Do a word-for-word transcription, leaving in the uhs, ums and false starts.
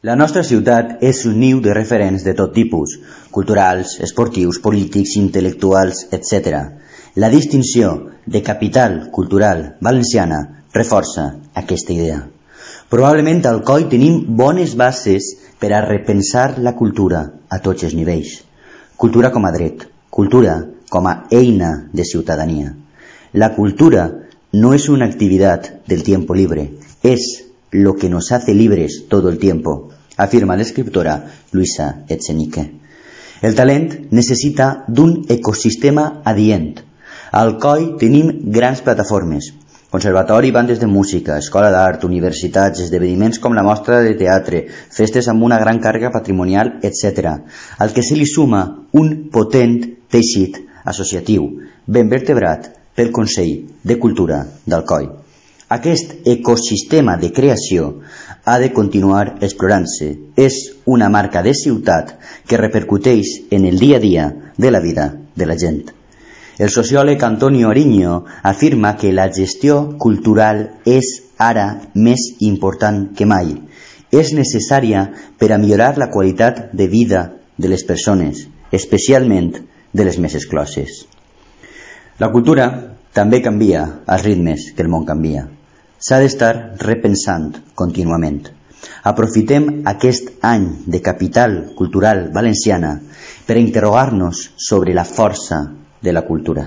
La nostra ciutat és un niu de referents de tot tipus, culturals, esportius, polítics, intel·lectuals, etcètera. La distinció de capital cultural valenciana reforça aquesta idea. Probablement al Coi tenim bones bases per a repensar la cultura a tots els nivells. Cultura com a dret, cultura com a eina de ciutadania. La cultura no es una actividad del tiempo libre, es lo que nos hace libres todo el tiempo, afirma l'escriptora Luisa Echenique. El talent necessita d'un ecosistema adient. Al Coi tenim grans plataformes, conservatori, bandes de música, escola d'art, universitats, esdeveniments com la mostra de teatre, festes amb una gran càrrega patrimonial, etcètera, al que se li suma un potent teixit associatiu, ben vertebrat pel Consell de Cultura del Coi. Aquest ecosistema de creació ha de continuar explorant-se. És una marca de ciutat que repercuteix en el dia a dia de la vida de la gent. El sociòleg Antonio Ariño afirma que la gestió cultural és ara més important que mai. És necessària per a millorar la qualitat de vida de les persones, especialment de les més excloses. La cultura també canvia als ritmes que el món canvia. S'ha d'estar repensant contínuament. Aprofitem aquest any de capital cultural valenciana per a interrogar-nos sobre la força de la cultura.